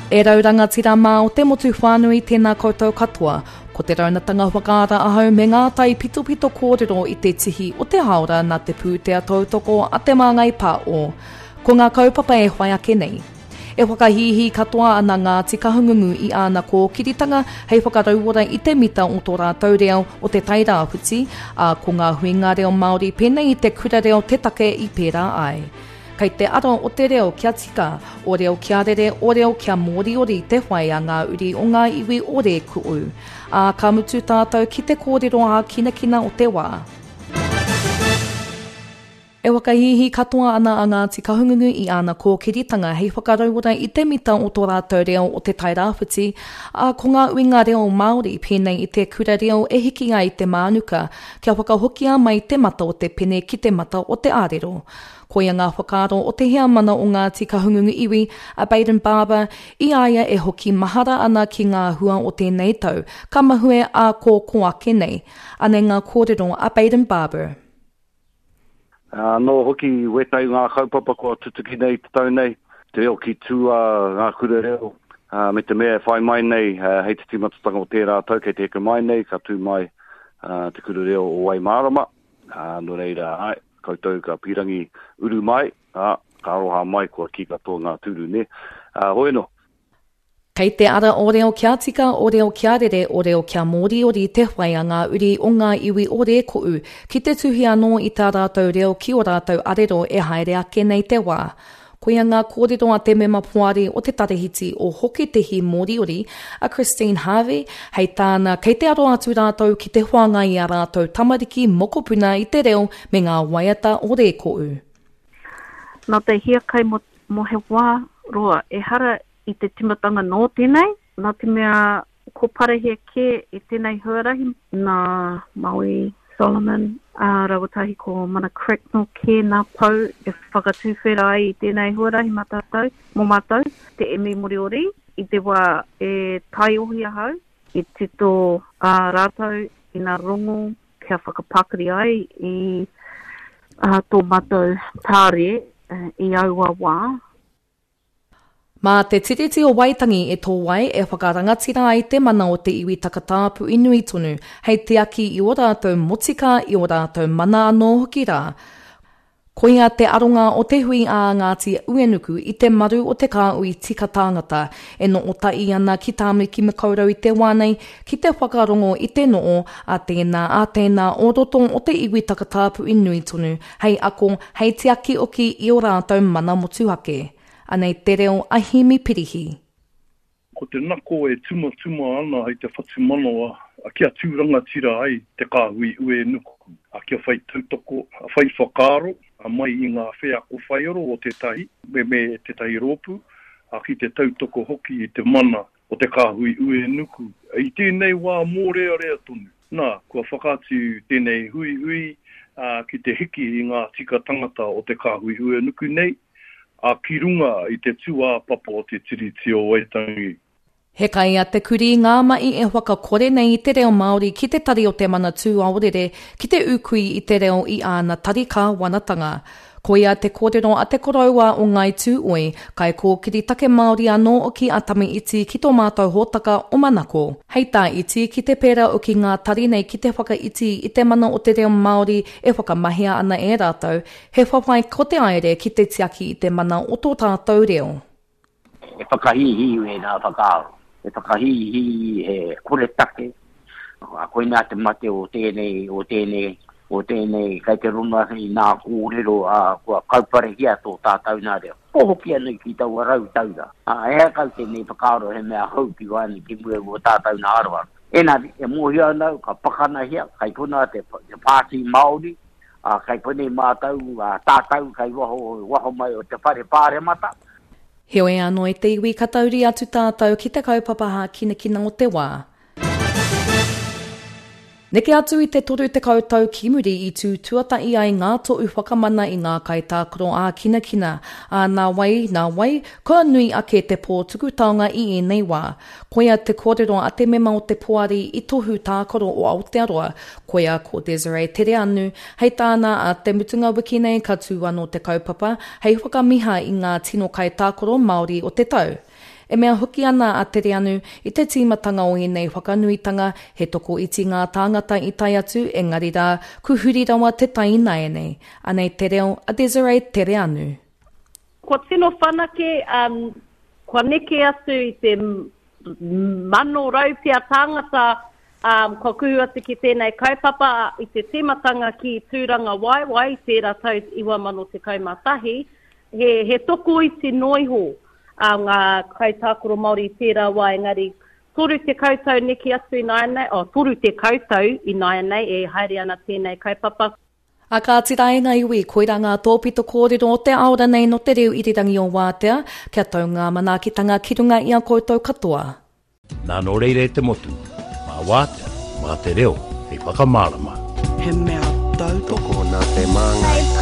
E rau rangatira mā o te motu whānui tēnā koutou katoa. Ko te raunatanga whakaara ahau me ngā taipitopito kōrero i te tihi o te hāora nā te pūtea tautoko a Te Māngai Pāo. Ko ngā kaupapa e whai ake nei. E whakahīhī katoa ana Ngāti Kahungungu i āna kōkiritanga hei whakarauora i te mita o tō rātou reo o Te Tai Rāwhiti, ā, ko ngā huinga reo Māori pēnei i te kura reo te take i pērā ai. Kei te ara o te reo kia tika, o reo kia rere, o reo kia mōriori te whai a ngā uri o ngā iwi o Rēkoʻu. Ā, ka mutu tātou ki te kōrero ākinakina o te wā. E whakahīhī katoa ana a Ngāti Kahungunu i āna kōkiritanga hei whakarauora i te mita o tō rātou reo o Te Tairāwhiti, ā, ko ngā uinga reo Māori pēnei i te kura reo e hiki ai te mānuka kia whakahokia mai te mata o te pene ki te mata o te ārero. Koia ngā whakaaro o te heamana o Ngāti Kahungungu iwi, a Bayden Barber, i a ia e hoki mahara ana ki ngā hua o tēnei tau, ka mahue ā kō kō ake nei. Anei ngā kōrero a Bayden Barber. Anō hoki wētahi o ngā kaupapa kua tutuki nei i te tau nei, te reo ki tua, ngā kura reo, me te mea e whai mai nei hei te tīmatatanga o tērā tau kei te heke mai nei, ka tū mai te kura reo o Waimārama. Ā, nō reira, āe, koutou ka pīrangi uru mai, ā, ka aroha mai kua kī katoa ngā tūru, nē. Ā, hoi anō. Kei te ara o reo kia tika, o reo kia rere, o reo kia mōriori te whai a ngā uri o ngā iwi o Rēkoʻu ki te tuhi anō i tā rātou reo ki ō rātou arero e haere ake nei te wā. Koia ngā kōrero a te mema poari o te Tarahiti o Hoketehi Moriori, a Christine Harvey, hei tāna kei te aro atu rātou ki te whāngai i ā rātou tamariki mokopuna i te reo me ngā waiata o Rēkoʻu. Nā te hiakai mō he wā roa, ehara i te timatanga nō tēnei, nā te mea ko parahia kē i tēnei huarahi nā Maui Solomon ā rawa tahi ko Mana Cracknell kē nā pou e whakatuwhera ai i tēnei huarahi mā tātou, mō mātou, te Emi Moriori, i te wā e taiohi ahau, i tito ā rātou i nā rongo kia whakapakari ai i tō mātou tāre i aua wā. Mā te Tiriti o Waitangi e tō ai e whakarangatira ai te mana o te iwi takatāpui nui tonu, hei tiaki i ō rātou motika, i ō rātou mana anō hoki rā. Koia te aronga o te hui a Ngāti Uenuku i te maru o te kāhui tika tāngata e noo tahi ana ki Tāmaki Makaurau i te wā nei ki te whakarongo i te noo a tēnā a tēnā o roto o te iwi takatāpui nui tonu hei ako, hei tiaki oki i ō rātou mana motuhake. Anei te reo a Himi Pirihi. Ko te nako e tumatuma ana hei te whatumanawa kia tū rangatira ai te kāhui uenuku, kia whai tautoko, whai whakaaro mai i ngā wheako whaiaro o tētahi me tētahi rōpū, ki te tautoko hoki i te mana o te kāhui uenuku i tēnei wā mōrearea tonu. Nā, kua whakaatu tēnei huihui ki te hiki i ngā tika tangata o te kāhui uenuku nei, ā, ki runga i te tūāpapa o te Tiriti o Waitangi. He kai a te kurī ngā mahi e whakakore nei i te reo Māori ki te Tari o Te Manatū Aorere ki te ūkui i te reo i āna tari kāwanatanga. Koia te kōrero a te koroua o Ngāi Tūoi, kaikōkiri take Māori anō hoki a Tame Iti ki tō mātou hōtaka o Manako. Hei tā Iti, ki te pērā hoki ngā tari nei ki te whakaiti i te mana o te reo Māori e whakamahia ana e rātou, he whawhai ko te aere ki te tiaki i te mana o tō tātou reo. He whakahīhī wēnā whakaaro. He whakahīhī, he koretake. Koinā te mate o tēnei, o tēnei, o tēnei, kei te rona i nā kōrero, ā, kua kauparehia tō tātau nā reo. Ko hoki ana ki taua rautaura. Ā, ehara kau tēnei whakaaro he mea hou ki waenga ki mua i wō tātau nā aroaro. Engari, e mōhio ana au, ka pakanahia, kei konā te, te Pāti Māori, ā, kei konei mātau, ā, tātau kei waho, waho mai o te Whare Pāremata. Heoi anō e te iwi ka tauri atu tātou ki te kaupapa hākinakina o te wā. Neke atu i te 30 tau ki muri i tū tuatahi ai ngā tohu whakamana i ngā kaitākaro ākinakina, ā, nā wai, nā wai, kua nui ake te pō tuku taonga i ēnei wā. Koia te kōrero a te mema o te poari i Tohu Tākaro o Aotearoa, koia ko Desiree Tereanu, hei tāna ā te mutunga wiki nei ka tū anō te kaupapa hei whakamiha i ngā tino kaitākaro Māori o te tau. E mea hoki ana a Tereanu, i te tīmatanga o ēnei whakanuitanga, he tokoiti ngā tāngata i tae atu, engari rā, ku huri rawa te tai ināianei. Anei te reo a Desiree Tereanu. Kua tino whanake, kua neke atu i te 100 pea tāngata kua kuhu atu ki tēnei kaupapa i te tīmatanga ki Tūrangawaewae i tērā tau 2011, he, he tokoiti noa iho ngā kaitākaro Māori i tērā wā engari 30 tau neke atu ināianei, oh, 30 tau ināianei e haere ana tēnei kaupapa. A kāti rā e ngā iwi, koirā ngā tōpito kōrero o te ao ranei nō te reo irirangi o Wātea, kia tau ngā manaakitanga ki runga i a koutou katoa. Nā nō reira e te motu, mā Wātea, mā te reo hei whakamārama. He mea tautoko. Tokona te māngai.